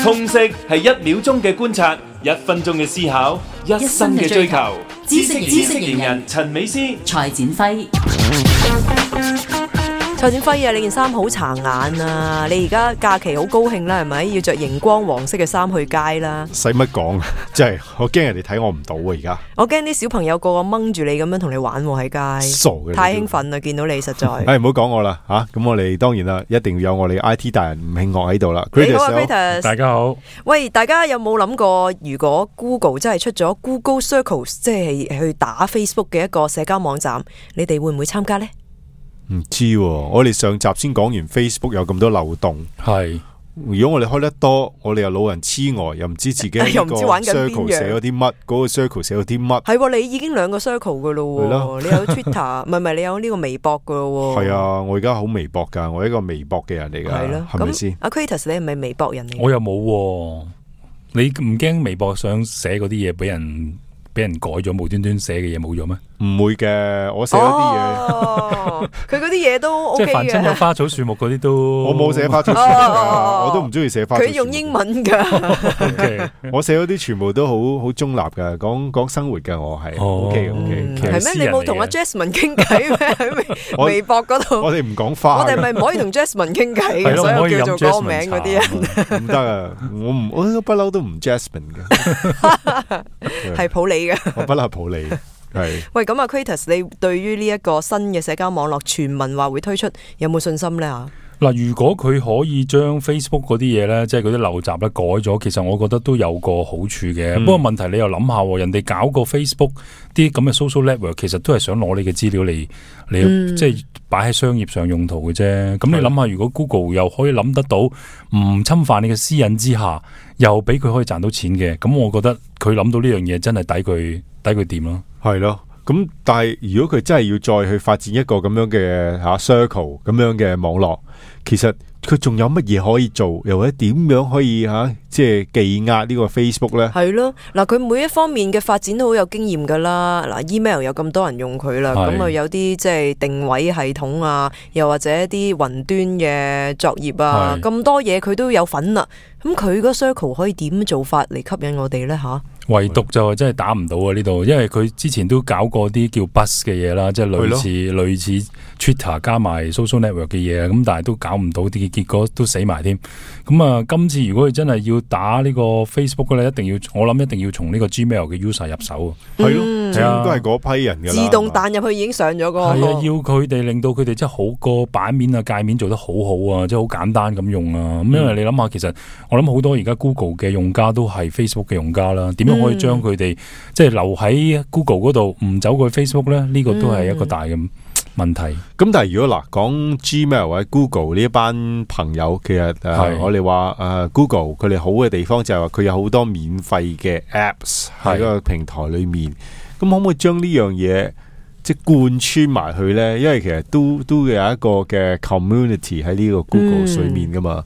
通識係1秒鐘嘅觀察，1分鐘嘅思考，1生嘅追求。知識型人陳美詩、蔡展輝。蔡展輝啊，你件衫好殘眼啊！你而家假期好高興啦，係咪？要着熒光黃色嘅衫去街啦。使乜講？真係我驚人哋睇我唔到啊！而家我驚啲小朋友個個掹住你咁樣同你玩喎喺街。傻嘅，太興奮啦！見到你實在。唔好講我啦吓，咁我哋當然啦，一定要有我哋 IT 大人吳慶岳喺度啦。你好啊 Kratos， 大家好。喂，大家有冇諗過，如果 Google 真係出咗 Google Circles， 即係去打 Facebook 嘅一個社交網站，你哋會唔會參加呢？唔知喎，我哋上集先講完 Facebook 有咁多漏洞，係如果我哋開得多，我哋又老人痴呆，又唔知自己又唔知玩緊邊樣 circle 寫咗啲乜，嗰個 circle 寫咗啲乜。係喎，你已經2個 circle 噶咯，你有 Twitter， 唔係你有呢個微博噶咯。係啊，我而家好微博噶，我係一個微博嘅人嚟噶，係咪先？阿 Kratos 你係咪微博人嚟？我又冇喎，你唔驚微博想寫嗰啲嘢俾人改咗，無端端寫嘅嘢冇咗咩？唔會嘅，我寫咗啲嘢，佢嗰啲嘢都 OK 嘅。即係凡親有花草樹木嗰啲都，我冇寫花草樹木噶，我都唔中意寫花草樹木。佢用英文噶，我寫嗰啲全部都好中立噶，講生活噶，我係 OK。係咩？你冇同阿 Jasmine 傾偈咩？喺微博嗰度，我哋唔講花，我哋咪唔可以同 Jasmine 傾偈嘅，所以叫做嗰個名嗰啲人唔得啊！我不嬲都唔 Jasmine 嘅，係普洱嘅，我不嬲係普洱。係喂，咁啊 Kratos， 你對於呢一個新嘅社交網絡傳聞話會推出，有冇信心咧吓？嗱，如果佢可以將 Facebook 嗰啲嘢咧，即係嗰啲陋習咧改咗，其實我覺得都有個好處嘅。不過問題你又諗下，人哋搞個 Facebook 啲咁嘅 social network， 其實都係想攞你嘅資料嚟即係擺喺商業上用途嘅啫。咁你諗下，如果 Google 又可以諗得到唔侵犯你嘅私隱之下，又俾佢可以賺到錢嘅，咁我覺得佢諗到呢樣嘢真係抵佢掂咯。係咯，咁但係如果佢真係要再去發展一個咁樣嘅circle 咁樣嘅網絡，其實佢仲有乜嘢可以做，又或者點樣可以即係技壓呢個 Facebook 咧？係咯，嗱，佢每一方面嘅發展都好有經驗噶啦。嗱 ，email 有咁多人用佢啦，咁啊有啲即係定位系統啊，又或者啲雲端嘅作業啊，咁多嘢佢都有份啦。咁佢個 circle 可以點做法嚟吸引我哋咧吓？唯獨就真係打唔到啊呢度，因為佢之前都搞過啲叫 Buzz 嘅嘢啦，即係類似 Twitter 加埋 social network 嘅嘢，咁但係都搞唔到，啲結果都死埋添。咁啊，今次如果佢真係要打呢個 Facebook 咧，我諗一定要從呢個 Gmail 嘅 user 入手。係咯，應該係嗰批人噶啦。自動彈入去已經上咗個。係啊，要佢哋令到佢哋真係好個版面啊、界面做得好好啊，即係好簡單咁用啊。咁因為你諗下，其實我諗好多而家 Google 嘅用家都係 Facebook 嘅用家啦，點樣可以將佢哋即係留喺 Google 嗰度，唔走過去 Facebook 咧？呢個都係一個大嘅問題。咁但係如果講 Gmail 或者 Google 呢一班朋友，其實我哋話Google 佢哋好嘅地方就係話佢有好多免費嘅 Apps 喺個平台裏面。咁可唔可以將呢樣嘢即係貫穿埋去咧？因為其實都有一個嘅 community 喺呢個 Google 水面噶嘛。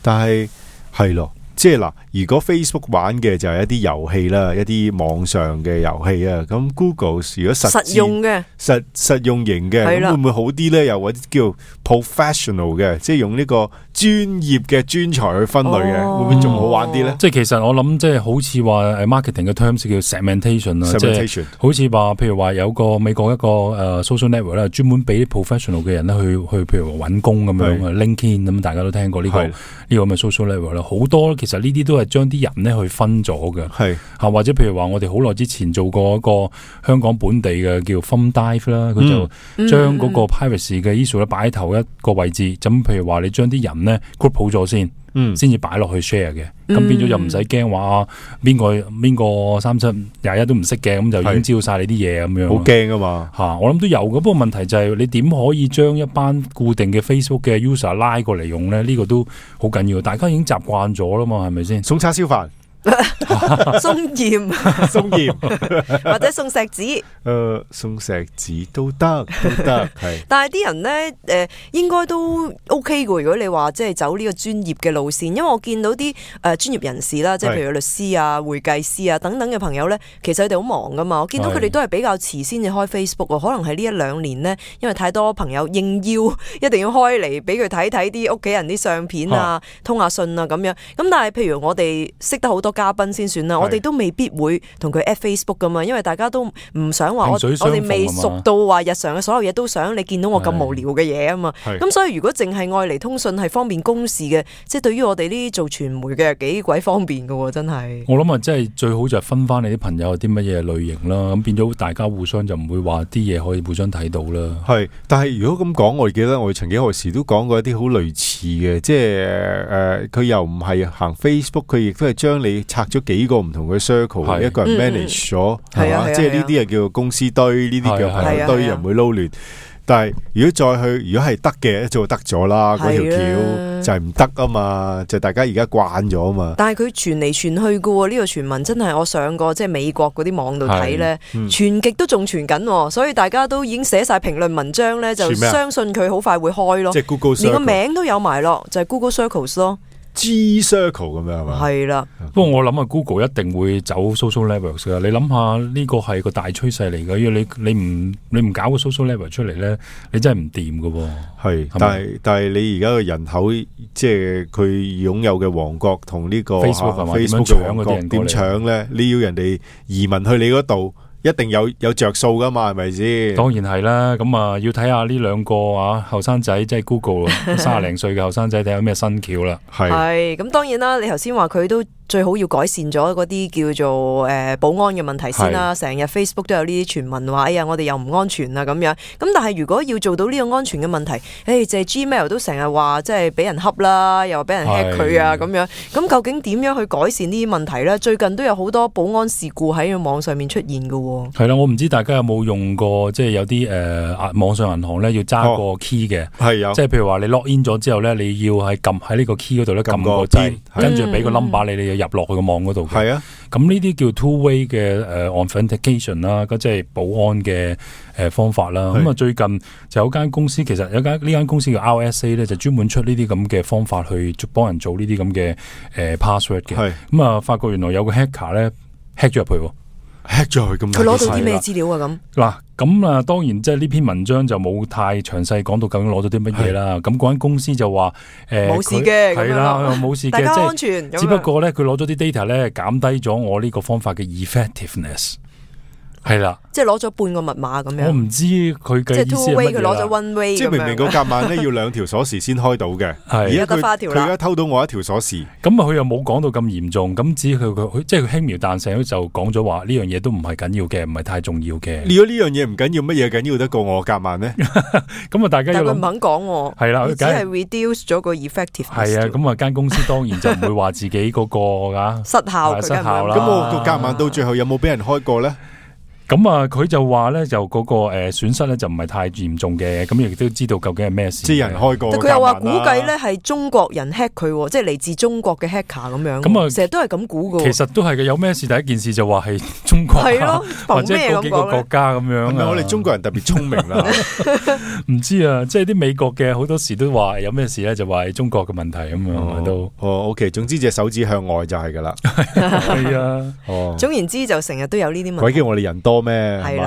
但係係咯。即係嗱，如果 Facebook 玩嘅就係一啲遊戲啦，一啲網上嘅遊戲啊，咁 Google 如果實用嘅、實用型嘅，咁會唔會好啲咧？又或者叫 professional 嘅，即係用呢個專業嘅專才去分類嘅，會唔會仲好玩啲咧？即係其實我諗，即係好似話marketing 嘅 terms 叫 segmentation 啊，即係好似話，譬如話有個美國一個social network 咧，專門俾啲 professional 嘅人咧去譬如話揾工咁樣，LinkedIn 咁，大家都聽過呢個咁嘅 social network 啦，好多。其實呢啲都係將啲人咧去分咗嘅，係或者譬如話我哋好耐之前做過一個香港本地嘅叫 FunnDive 啦，佢就將嗰個 privacy 嘅 issue 咧擺喺頭一個位置，咁譬如話你將啲人咧 group 好咗先。先至擺落去 share 嘅，咁變咗就唔使驚話邊個3721都唔識嘅，咁就已經知道晒你啲嘢咁樣。好驚啊嘛嚇！我諗都有嘅，不過問題就係你點可以將一班固定嘅 Facebook 嘅 user 拉過嚟用咧？呢個都好緊要，大家已經習慣咗啦嘛，係咪先？送叉燒飯。送鹽送鹽或者送石子，送石子都得係。但係啲人咧應該都 OK 嘅。如果你話即係走呢個專業嘅路線，因為我見到啲專業人士啦，即係譬如律師啊、會計師啊等等嘅朋友咧，其實佢哋好忙噶嘛。我見到佢哋都係比較遲先至開 Facebook，可能係呢1-2年呢，因為太多朋友應邀一定要開嚟俾佢睇睇啲屋企人啲相片啊、通下信啊咁樣。咁但係譬如我哋識得好多嘉賓先算啦，我哋都未必會同佢 at Facebook 噶嘛，因為大家都唔想話我哋未熟到話日常嘅所有嘢都想你見到我咁無聊嘅嘢啊嘛。咁所以如果淨係愛嚟通訊係方便公事嘅，即係對於我哋呢啲做傳媒嘅幾鬼方便噶，真係。我諗啊，即係最好就係分翻你啲朋友係啲乜嘢類型啦，咁變咗大家互相就唔會話啲嘢可以互相睇到啦。係，但係如果咁講，我記得我曾幾何時都講過一啲好類似嘅，即係佢又唔係行 Facebook， 佢亦都係將你拆咗幾個唔同嘅 circle， 一個人 manage 咗，係嘛？即係呢啲係叫做公司堆，呢啲叫朋友堆，又唔會撈亂。但係如果再去，如果係得嘅，一早得咗啦。嗰條橋就係唔得啊嘛，就大家而家慣咗啊嘛。但係佢傳嚟傳去嘅喎，呢個傳聞真係我上過即係美國嗰啲網度睇咧，傳極都仲傳緊，所以大家都已經寫晒評論文章咧，就相信佢好快會開咯。即係 Google Circle， 連個名都有埋咯，就係 Google Circles 咯。G Circle 咁樣係嘛？係啦，不過我諗啊 Google 一定會走 social networks 㗎。你諗下呢個係個大趨勢嚟嘅，因為你唔搞個 social network 出嚟咧，你真係唔掂㗎喎。係，但係你而家嘅人口，即係佢擁有嘅王國同呢個 Facebook 嘅王國點搶咧？你要人哋移民去你嗰度，一定有着數噶嘛，係咪先？當然係啦，咁啊要睇下呢兩個後生仔，即係 Google 30零歲嘅後生仔，睇下咩新橋啦。係，咁當然啦，你頭先話佢都最好要改善咗嗰啲叫做保安嘅問題先啦。成日 Facebook 都有呢啲傳聞話，哎呀我哋又唔安全啊咁樣。咁但係如果要做到呢個安全嘅問題，就係 Gmail 都成日話即係俾人恰啦，又話俾人 hack 佢啊咁樣。咁究竟點樣去改善呢啲問題咧？最近都有好多保安事故喺網上面出現㗎。係啦，我唔知大家有冇用過，即係有啲網上銀行咧要揸個 key 嘅，即係譬如話你 log in 咗之後咧，你要係撳喺呢個 key 嗰度咧撳個掣，跟住俾個 number 你入落去個網嗰度。係啊，咁呢啲叫 two-way 嘅authentication 啦，即係保安嘅方法啦。咁啊最近就有間公司，其實呢間公司叫 RSA 咧，就專門出呢啲咁嘅方法去幫人做呢啲咁嘅password 嘅。咁啊發覺原來有個 hacker 咧 hack 咗入去。hack 咗佢咁，佢攞到啲咩資料啊？咁啊，當然即係呢篇文章就冇太詳細講到究竟攞咗啲乜嘢啦。咁嗰間公司就話冇事嘅，係啦，冇事嘅，大家安全。只不過咧，佢攞咗啲 data 咧，減低咗我呢個方法嘅 effectiveness。係啦，即係攞咗半個密碼咁樣。我唔知佢嘅意思係乜嘢啦。即係 two way 佢攞咗 one way， 即係明明個夾萬咧要2條鎖匙先開到嘅，而家佢而家偷到我1條鎖匙。咁啊，佢又冇講到咁嚴重，咁只佢即係佢輕描淡寫就講咗話呢樣嘢都唔係緊要嘅，唔係太重要嘅。如果呢樣嘢唔緊要，乜嘢緊要得過我夾萬咧？咁啊，大家但佢唔肯講喎。係啦，只係 reduce 咗個 effectiveness。係啊，咁啊間公司當然就唔會話自己嗰個失效啦。咁我個夾萬到最後有冇俾人開過咧？咁啊，佢就話咧，就嗰個損失咧就唔係太嚴重嘅，咁亦都知道究竟係咩事。即係人開過，佢又話估計咧係中國人 hack 佢，即係嚟自中國嘅 hacker 咁樣。咁啊，成日都係咁估噶。其實都係嘅，有咩事第一件事就話係中國，係咯，或者嗰幾個國家咁樣。係咪我哋中國人特別聰明啦？唔知啊，即係啲美國嘅好多時都話有咩事咧，就話係中國嘅問題咁樣都。OK， 總之隻手指向外就係噶啦。係啊，總言之就成日都有呢啲問題。鬼叫我哋人多咩？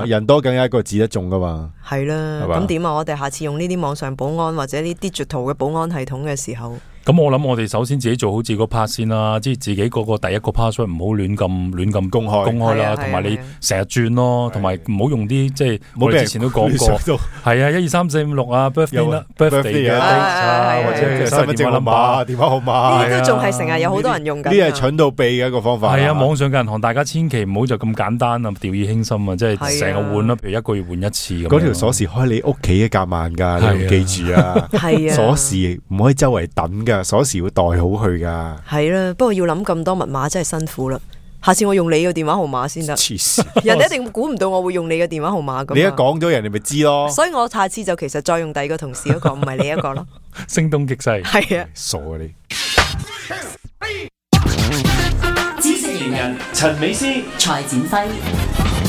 人多梗係一個指得中噶嘛。係啦，咁點啊？我哋下次用呢啲網上保安或者呢 digital 嘅保安系統嘅時候。咁我諗我哋首先自己做好自己個 part 先啦，即係自己嗰個第一個 password 唔好亂咁公開啦，同埋你成日轉咯，同埋唔好用啲即係我哋之前都講過，係啊1、2、3、4、5、6啊 birthday 嘅或者身份證號碼、電話號碼，呢啲都仲係成日有好多人用緊。呢啲係蠢到痹嘅一個方法。係啊，網上嘅銀行大家千祈唔好就咁簡單啊，掉以輕心啊，即係成日換啦，譬如1個月換一次咁。嗰條鎖匙開你屋企嘅夾萬㗎，你要記住啊。係啊，鎖匙唔可以周圍等㗎。鎖匙要袋好佢噶，係啦，不過要諗咁多密碼真係辛苦啦。下次我用你個電話號碼先得，黐線，人哋一定估唔到我會用你嘅電話號碼噶。你一講咗，人哋咪知咯。所以我下次就其實再用第二個同事嗰個，唔係你一個咯。聲東擊西，係啊，傻啊你。型人陳美斯、蔡展輝。